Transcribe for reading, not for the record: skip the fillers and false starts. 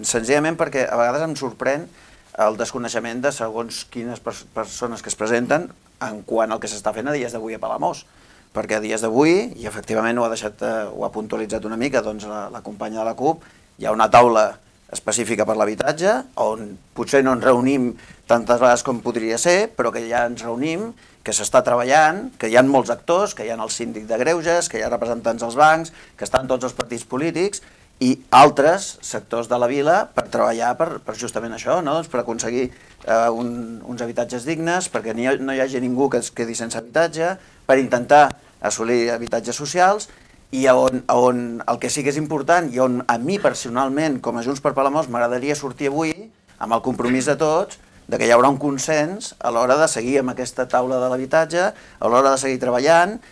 senzillament perquè a vegades em sorprèn el desconeixement de segons quines persones que es presenten en quant al que s'està fent a dies d'avui a Palamós. Perquè a dies d'avui, i efectivament ho ha puntualitzat una mica doncs, la companya de la CUP, hi ha una taula específica per l'habitatge, on potser no ens reunim tantes vegades com podria ser, però que ja ens reunim, que s'està treballant, que hi ha molts actors, que hi ha el síndic de greuges, que hi ha representants dels bancs, que estan tots els partits polítics i altres sectors de la vila per treballar per justament això, no? Doncs per aconseguir uns habitatges dignes, perquè no hi hagi ningú que es quedi sense habitatge, per intentar assolir habitatges socials, i on el que sí que és important i on a mi personalment, com a Junts per Palamós, m'agradaria sortir avui amb el compromís de tots de que hi haurà un consens a l'hora de seguir amb aquesta taula de l'habitatge, a l'hora de seguir treballant